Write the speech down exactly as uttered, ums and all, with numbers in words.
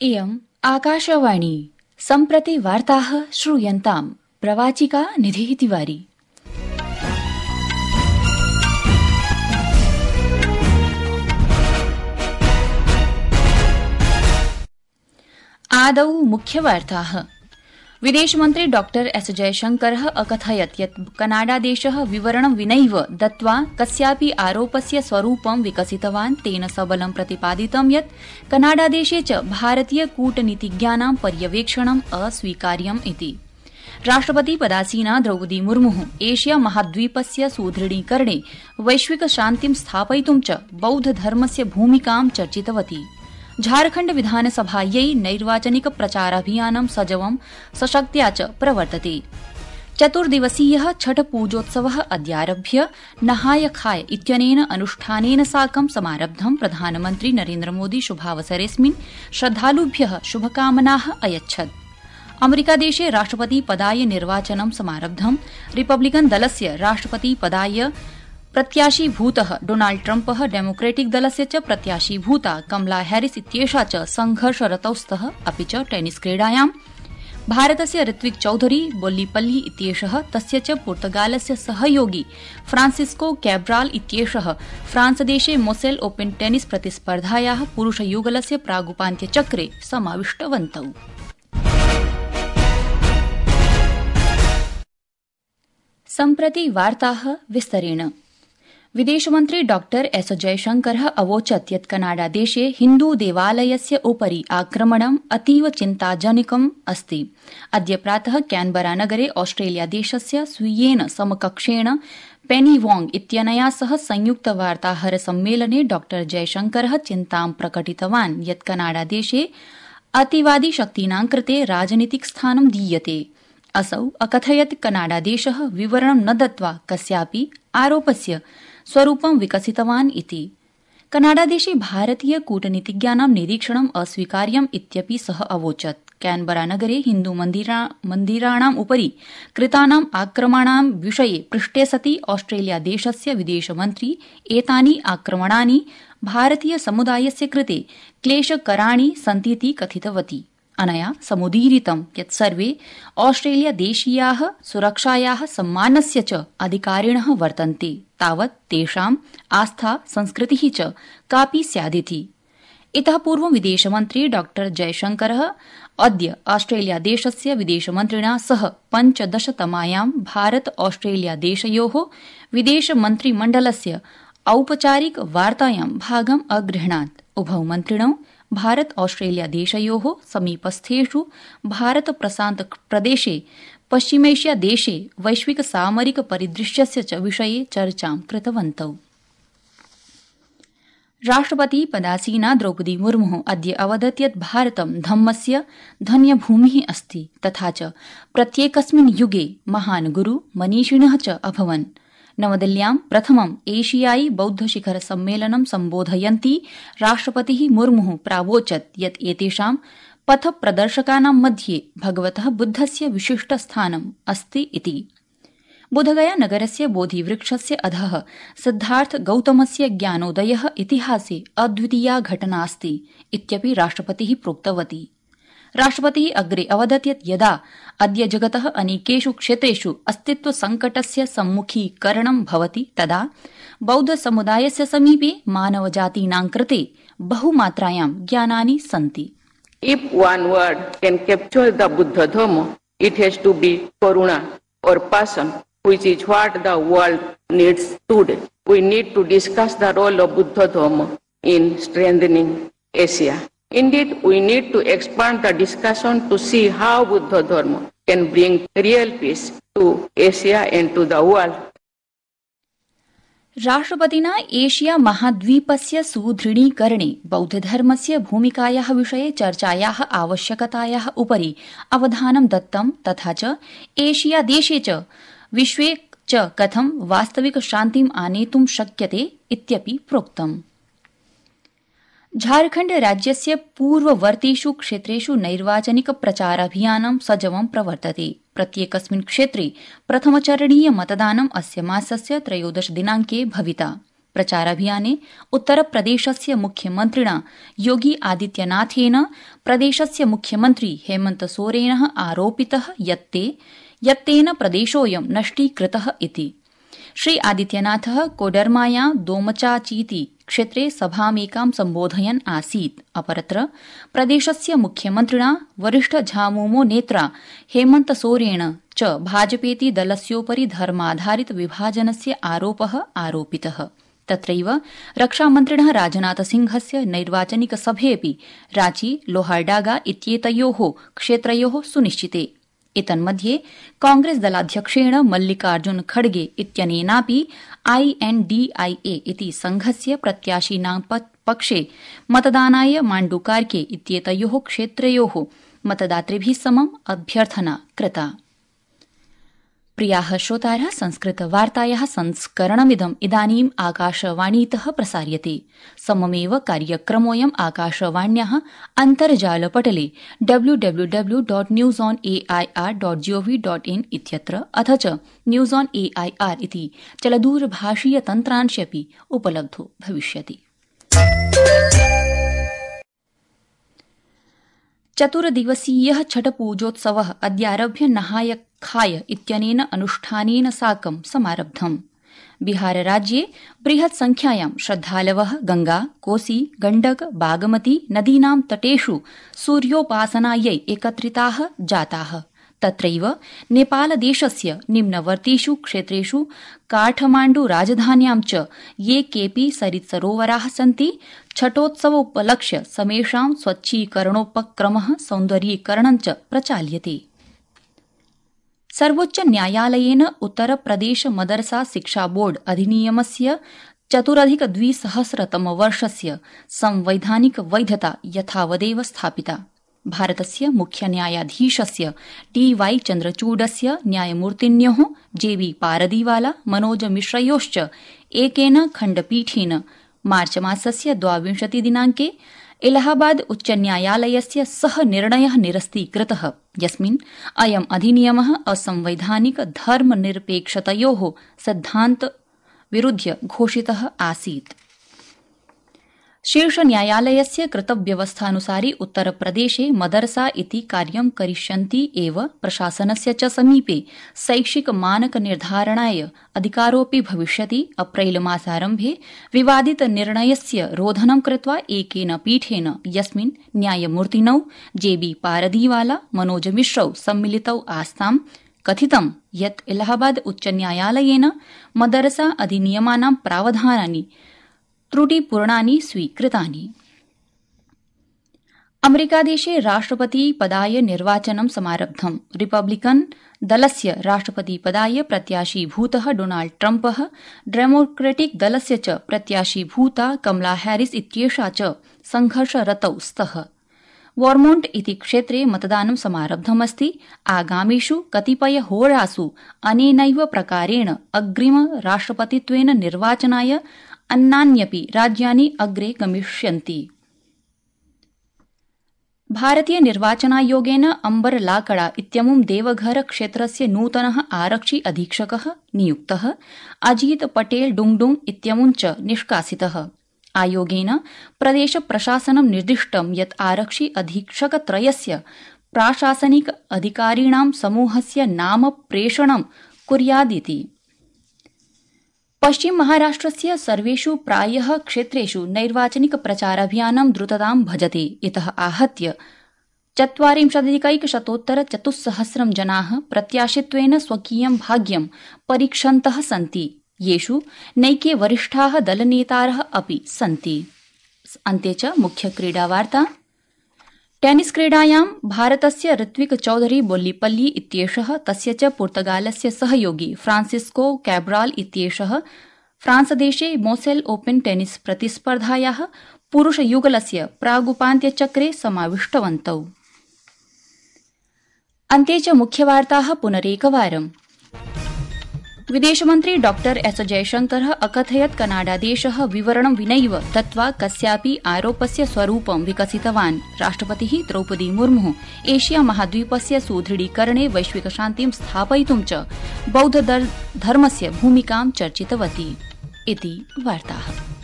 इयम् आकाशवाणी सम्प्रति वार्ताः श्रूयन्ताम् प्रवाचिका निधिः तिवारी। आदौ मुख्यवार्ताः। विदेशमन्त्री डॉक्टर एस जयशंकरः अकथयत् यत् कनाडादेशः विवरणं विनैव दत्त्वा कस्यापि आरोपस्य स्वरूपं विकसितवान्। तेन सबलं प्रतिपादितं यत् कनाडादेशे च भारतीय कूटनीतिज्ञानां पर्यवेक्षणम् अस्वीकार्यम् इति। राष्ट्रपति पदासीना द्रौपदी मुर्मुः एशिया महाद्वीपस्य सुदृढीकरणे वैश्विक शान्तिं स्थापयितुं च बौद्धधर्मस्य भूमिकां चर्चितवती। झारखण्ड विधानसभायै नैर्वाचनिक प्रचाराभियानं सजवं सशक्त्या च प्रवर्तते। चतुर्दिवसीयः छठ पूजोत्सवः अद्यारभ्य नहाय खाय इत्यनेन अनुष्ठानेन साकं समारब्धम्। प्रधानमन्त्री नरेन्द्रमोदी शुभावसरेऽस्मिन् श्रद्धालुभ्यः शुभकामनाः अयच्छत्। अमेरिकादेशे राष्ट्रपतिपदाय निर्वाचनं समारब्धम्। रिपब्लिकन दलस्य राष्ट्रपतिपदाय प्रत्याशीभूतः डोनाल्ड ट्रम्पः डेमोक्रेटिक दलस्य च प्रत्याशीभूता कमला हैरिस इत्येषा च संघर्षरतौ स्तः। अपि च टेनिस क्रीडायां भारतस्य ऋत्विक चौधरी बोल्लीपल्ली इत्येषः तस्य च पुर्तगालस्य सहयोगी फ्रांसिस्को कैब्राल इत्येषः फ्रांसदेशे मोसेल ओपन टेनिस प्रतिस्पर्धायाः पुरुषयुगलस्य प्रागुपान्त्यचक्रे समाविष्टवन्तौ। सम्प्रति वार्ताः विस्तरेण। विदेशमन्त्री डॉक्टर एस जयशंकरः अवोचत् यत् कनाडादेशे हिन्दू देवालयस्य उपरि आक्रमणम् अतीव चिन्ताजनकम् अस्ति। अद्य प्रातः कैनबरानगरे ऑस्ट्रेलियादेशस्य स्वीयेन समकक्षेण पेनी वोंग इत्यनया सह संयुक्त वार्ताहर सम्मेलने डॉक्टर जयशंकरः चिन्तां प्रकटितवान् यत् कनाडादेशे अतिवादी शक्तीनां कृते राजनीतिक स्थानं दीयते। असौ अकथयत् कनाडादेशः विवरणं न दत्त्वा कस्यापि आरोपस्य स्वरूपं विकसितवान् इति। कनाडादेशे भारतीय कूटनीतिज्ञानां निरीक्षणम् अस्वीकार्यम् इत्यपि सः अवोचत्। कैनबरानगरे हिन्दू मन्दिराणाम् उपरि कृतानाम् आक्रमणां विषये पृष्टे सति ऑस्ट्रेलियादेशस्य विदेशमन्त्री एतानि आक्रमणानि भारतीय समुदायस्य कृते क्लेशकराणि सन्तीति कथितवती। अनया समुदीरितं यत् सर्वे ऑस्ट्रेलियादेशीयाः सुरक्षायाः सम्मानस्य च अधिकारिणः वर्तन्ते तावत् तेषाम् आस्था संस्कृतिः च कापि स्यादिति। इतः पूर्वं विदेशमन्त्री डॉक्टर जयशंकरः अद्य ऑस्ट्रेलियादेशस्य विदेशमन्त्रिणा सह पञ्चदशतमायां भारत ऑस्ट्रेलियादेशयोः विदेशमन्त्रिमण्डलस्य औपचारिक वार्तायां भागम् अगृह्णात्। उभौ मन्त्रिणौ भारत ऑस्ट्रेलिया देशयोः समीपस्थेषु भारत प्रशांत प्रदेशे पश्चिमेष्या देशे वैश्विक सामरिक परिदृश्यस्य च विषये चर्चां कृतवन्तौ। राष्ट्रपति पदासीना द्रौपदी मुर्मुः अद्य अवदत् यत् भारतं धम्मस्य धन्यभूमिः अस्ति तथा च प्रत्येकस्मिन् युगे महान् गुरु मनीषिणः च अभवन्। नवदिल्ल्यां प्रथमम् एशियाई बौद्ध शिखर सम्मेलनं सम्बोधयन्ती राष्ट्रपतिः मुर्मुः प्रावोचत् यत् एतेषां पथप्रदर्शकानां मध्ये भगवतः बुद्धस्य विशिष्टस्थानम् अस्ति इति। बुधगया नगरस्य बोधिवृक्षस्य अधः सिद्धार्थ गौतमस्य ज्ञानोदयः इतिहासे अद्वितीया घटना अस्ति इत्यपि राष्ट्रपतिः प्रोक्तवती। राष्ट्रपतिः अग्रे अवदत् यत् यदा अद्य जगतः अनेकेषु क्षेत्रेषु अस्तित्व संकटस्य सम्मुखीकरणं भवति तदा बौद्ध समुदायस्य समीपे मानवजातीनां कृते बहुमात्रायां ज्ञानानि सन्ति। If one word can capture the Buddha Dhamma, it has to be karuna or passion, which is what the world needs today. We need to discuss the role of Buddha Dhamma in strengthening Asia. Indeed, we need to expand the discussion to see how Buddha Dharma can bring real peace to Asia and to the world. राष्ट्रपतिना Asia महाद्वीपस्य सुदृढीकरणे बौद्धधर्मस्य भूमिकायाः विषये चर्चायाः आवश्यकतायाः उपरि अवधानं दत्तं तथा च Asia देशे च विश्वे च कथं वास्तविक शान्तिम् आनेतुं शक्यते इत्यपि प्रोक्तम्। झारखण्ड राज्यस्य पूर्ववर्तीषु क्षेत्रेषु नैर्वाचनिक प्रचाराभियानं सजवं प्रवर्तते। प्रत्येकस्मिन् क्षेत्रे प्रथमचरणीय मतदानम् अस्य मासस्य त्रयोदश दिनाङ्के भविता। प्रचाराभियाने उत्तरप्रदेशस्य मुख्यमन्त्रिणा योगी आदित्यनाथेन प्रदेशस्य मुख्यमन्त्री हेमन्त सोरेन आरोपितः यत्तेन प्रदेशोऽयं नष्टीकृतः इति। श्री आदित्यनाथः कोडरमाया दोमचाचीति क्षेत्रे सभामेकां सम्बोधयन् आसीत्। अपरत्र प्रदेशस्य मुख्यमन्त्रिणा वरिष्ठ झामुमो नेत्रा हेमन्त सोरेन च भाजपेति दलस्योपरि धर्माधारित विभाजनस्य आरोपः आरोपितः। तत्रैव रक्षामन्त्रिणः राजनाथसिंहस्य नैर्वाचनिक सभेऽपि रांची लोहारडागा इत्येतयोः क्षेत्रयोः सुनिश्चिते। एतन्मध्ये कांग्रेस दलाध्यक्षेण मल्लिकार्जुन खड़गे इत्यनेनापि आईएनडीआईए इति संघस्य प्रत्याशिनां पक्षे मतदानाय माण्डुकार्के इत्येतयोः क्षेत्रयोः मतदातृभिः समम् अभ्यर्थना कृता। प्रियाः श्रोतारः, संस्कृतवार्तायाः संस्करणमिदम् इदानीम् आकाशवाणीतः प्रसार्यते। सममेव कार्यक्रमोऽयम् आकाशवाण्याः अन्तर्जालपटले W W W dot news on AIR dot G O V dot in इत्यत्र अथ च न्यूज ऑन एआईआर इति चलदूरभाषीय तन्त्रांशेऽपि उपलब्धो भविष्यति। चतुर्दिवसीयः छठपूजोत्सवः अद्यारभ्य नहाय खाय इत्यनेन अनुष्ठानेन साकं समारब्धम्। बिहारराज्ये बृहत् संख्यायां श्रद्धालवः गंगा, कोसी, गण्डक, बागमती नदीनां तटेषु सूर्योपासनायै एकत्रिताः जाताः। तत्रैव नेपालदेशस्य निम्नवर्तीषु क्षेत्रेषु काठमाण्डु राजधान्यां च ये केऽपि सरित्सरोवराः सन्ति छठोत्सवोपलक्ष्य समेषां स्वच्छीकरणोपक्रमः सौन्दर्यीकरणं च प्रचाल्यते। सर्वोच्च न्यायालयेन उत्तरप्रदेश मदरसा शिक्षा बोर्ड अधिनियमस्य चतुरधिक द्विसहस्रतमवर्षस्य संवैधानिक वैधता यथावदेव स्थापिता। भारतस्य मुख्य न्यायाधीशस्य डी वाई चन्द्रचूडस्य न्यायमूर्तिन्योः जे बी पारदीवाला मनोज मिश्रयोश्च एकेन खण्डपीठेन मार्चमासस्य द्वाविंशति दिनाङ्के इलाहाबाद उच्चन्यायालयस्य सह निर्णयः निरस्तीकृतः, यस्मिन् अयम् अधिनियमः असंवैधानिक धर्मनिरपेक्षतयोः सिद्धान्त विरुध्य घोषितः आसीत्। शीर्षन्यायालयस्य कृतव्यवस्थानुसारि उत्तरप्रदेशे मदरसा इति कार्यं करिष्यन्ति एव प्रशासनस्य च समीपे शैक्षिक मानक निर्धारणाय अधिकारोऽपि भविष्यति। अप्रैल मासारम्भे विवादित निर्णयस्य रोधनं कृत्वा एकेन पीठेन, यस्मिन् न्यायमूर्तिनौ जे बी पारदीवाला मनोज मिश्रौ सम्मिलितौ आस्तां, कथितं यत् इलाहाबाद उच्चन्यायालयेन मदरसा अधिनियमानां प्रावधानानि त्रुटिपूर्णानि स्वीकृतानि। अमेरिकादेशे राष्ट्रपतिपदाय निर्वाचनं समारब्धम्। रिपब्लिकन दलस्य राष्ट्रपतिपदाय प्रत्याशीभूतः डोनाल्ड ट्रम्पः, डेमोक्रेटिक दलस्य च प्रत्याशीभूता कमला हैरिस इत्येषा च संघर्षरतौ स्तः। वर्मोण्ट इति क्षेत्रे मतदानं समारब्धमस्ति। आगामिषु कतिपयहोरासु अनेनैव प्रकारेण अग्रिम राष्ट्रपतित्वेन निर्वाचनाय अन्यान्यपि राज्यानि अग्रे गमिष्यन्ति। भारतीय निर्वाचनायोगेन अम्बर लाकड़ा इत्यमुं देवघर क्षेत्रस्य नूतनः आरक्षि अधीक्षकः नियुक्तः। अजीत पटेल डुंगडुंग इत्यमुं च निष्कासितः। आयोगेन प्रदेश प्रशासनं निर्दिष्टं यत् आरक्षि अधीक्षकत्रयस्य प्राशासनिक अधिकारिणां समूहस्य नाम प्रेषणं कुर्यादिति। पश्चिम महाराष्ट्रस्य सर्वेषु प्रायः क्षेत्रेषु नैर्वाचनिक प्रचाराभियानं द्रुततां भजते। इतः आहत्य चत्वारिंशदधिकैकशतोत्तर चतुस्सहस्रं जनाः प्रत्याशित्वेन स्वकीयं भाग्यं परीक्षन्तः सन्ति, येषु नैके वरिष्ठाः दलनेतारः अपि सन्ति। अन्ते च मुख्य क्रीडावार्ता। टेनिस क्रीडायां भारतस्य ऋत्विक चौधरी बोल्लीपल्ली इत्येषः तस्य च पुर्तगालस्य सहयोगी फ्रांसिस्को कैब्राल इत्येषः फ्रांसदेशे मोसेल ओपन टेनिस प्रतिस्पर्धायाः पुरुषयुगलस्य प्रागुपान्त्यचक्रे समाविष्टवन्तौ। अन्ते च मुख्यवार्ताः पुनरेकवारम्। विदेशमन्त्री डॉ एस जयशंकरः अकथयत् कनाडादेशः विवरणं विनैव दत्त्वा कस्यापि आरोपस्य स्वरूपं विकसितवान्। राष्ट्रपतिः द्रौपदी मुर्मुः एशिया महाद्वीपस्य सुदृढीकरणे वैश्विकशान्तिं स्थापयितुं च बौद्धधर्मस्य भूमिकां चर्चितवती। इति वार्ताः।